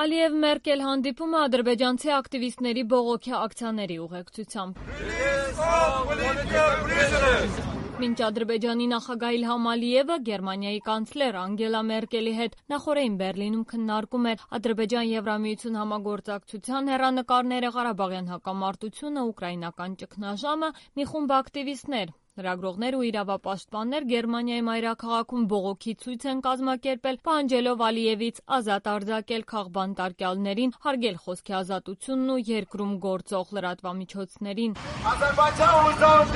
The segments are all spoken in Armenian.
Ալիև-Մերկել հանդիպումը ադրբեջանցի ակտիվիստների բողոքի ակցիաների ուղեկցությամբ։ Մինչ Ադրբեջանի նախագահ Իլհամ Ալիևը Գերմանիայի կանցլեր Անգելա Մերկելի հետ նախօրեին Բերլինում քննարկում էր Ադրբեջան-Եվրամիություն համագործակցության հեռանկարները, Ղարաբաղյան հակամարտությունը, ուկրաինական ճգնաժամը, մի խումբ ակտիվիստներ, լրագրողներ ու իրավապաշտպաններ Գերմանիայի մայրաքաղաքում բողոքի ցույց են կազմակերպել, պահանջելով Ալիևից ազատ արձակել քաղբանտարկյալներին, հարգել խոսքի ազատությունն ու երկրում գործող լրատվամիջոցներին։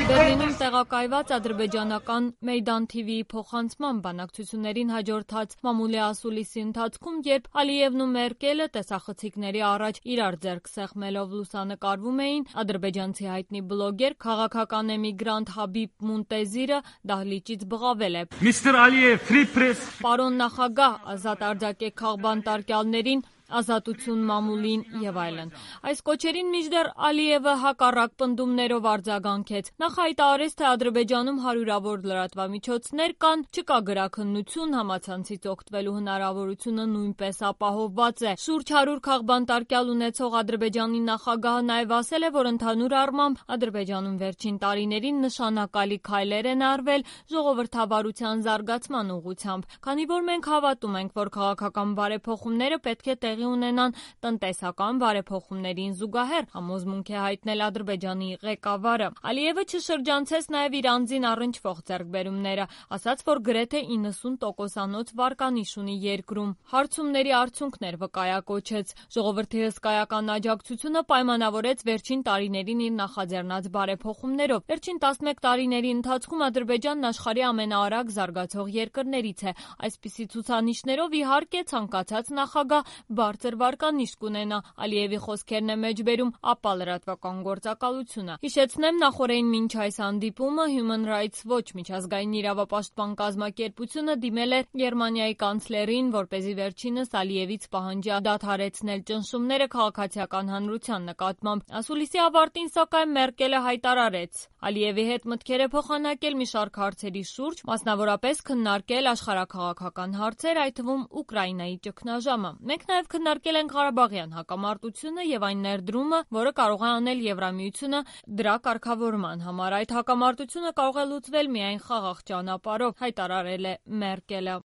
Բերլինում տեղակայված ադրբեջանական Մեյդան TV-ի փոխանցման բանակցություններին հաջորդած մամուլի ասուլիսի ընթացքում, երբ Ալիևն ու Մերկելը տեսախցիկների առաջ իրար ձեռք սեղմելով լուսանկարվում էին, ադրբեջանցի հայտնի բլոգեր, քաղաքական էմիգրանտ Հաբիբ Մունտեզիրը դահլիճից բղավել է. Միստր Ալիև, free press. Պարոն նախագահ, ազատ արձակեք քաղբանտարկյալներին, ազատություն մամուլին եւ այլն։ Այս կոչերին մինչդեռ Ալիևը հակառակ պնդումներով արձագանքեց։ Նախ հայտարարեց, թե Ադրբեջանում հարյուրավոր լրատվամիջոցներ կան, չկա գրաքննություն, համացանցից օգտվելու հնարավորությունը նույնպես ապահովված է։ Շուրջ 100 քաղբանտարկյալ ունեցող Ադրբեջանի նախագահը նաեւ ասել է, որ ընդհանուր առմամբ Ադրբեջանում վերջին տարիներին նշանակալի քայլեր են արվել ժողովրդավարության զարգացման ուղղությամբ, քանի որ մենք հավատում ենք, որ քաղաքական բարեփոխումները պետք է տեղի ունենան տնտեսական բարեփոխումներին զուգահեռ, համոզմունք է հայտնել Ադրբեջանի ղեկավարը։ Ալիևը չշրջանցեց նաև իր անձին առնչվող ձեռքբերումները, ասաց, որ գրեթե 90%-անոց վարկանիշ ունի երկրում։ Հարցումների արդյունքներ վկայակոչեց։ Ժողովրդի հսկայական աջակցությունը պայմանավորեց վերջին տարիներին իր նախաձեռնած բարեփոխումներով։ Վերջին 11 տարիների ընթացքում Ադրբեջանն աշխարհի ամենաարագ զարգացող երկրներից է։ Այսպիսի ցուցանիշներով իհարկե ցանկացած նախագահ բարձր վարկանիշ կունենա, Ալիևի խոսքերն է մեջբերում ԱՊԱ լրատվական գործակալությունը։ Հիշեցնեմ, նախօրեին մինչ այս հանդիպումը Human Rights Watch միջազգային իրավապաշտպան կազմակերպությունը դիմել էր Գերմանիայի կանցլերին, որպեսզի վերջինս Ալիևից պահանջի դադարեցնել ճնշումները քաղաքացիական հանրության նկատմամբ։ Ասուլիսի ավարտին, սակայն, Մերկելը հայտարարեց Ալիևի հետ մտքեր է փոխանակել մի շարք հարցերի շուրջ, մասնավորապես քննարկել աշխարհաքաղաքական հարցեր, այդ թվում Ուկրաինայի ճգնաժամը։ Մենք նաև քննարկել ենք Ղարաբաղյան հակամարտությունը եւ այն ներդրումը, որը կարող է անել Եվրամիությունը դրա կարգավորման համար։ Այդ հակամարտությունը կարող է լուծվել միայն խաղաղ ճանապարհով, հայտարարել է Մերկելը։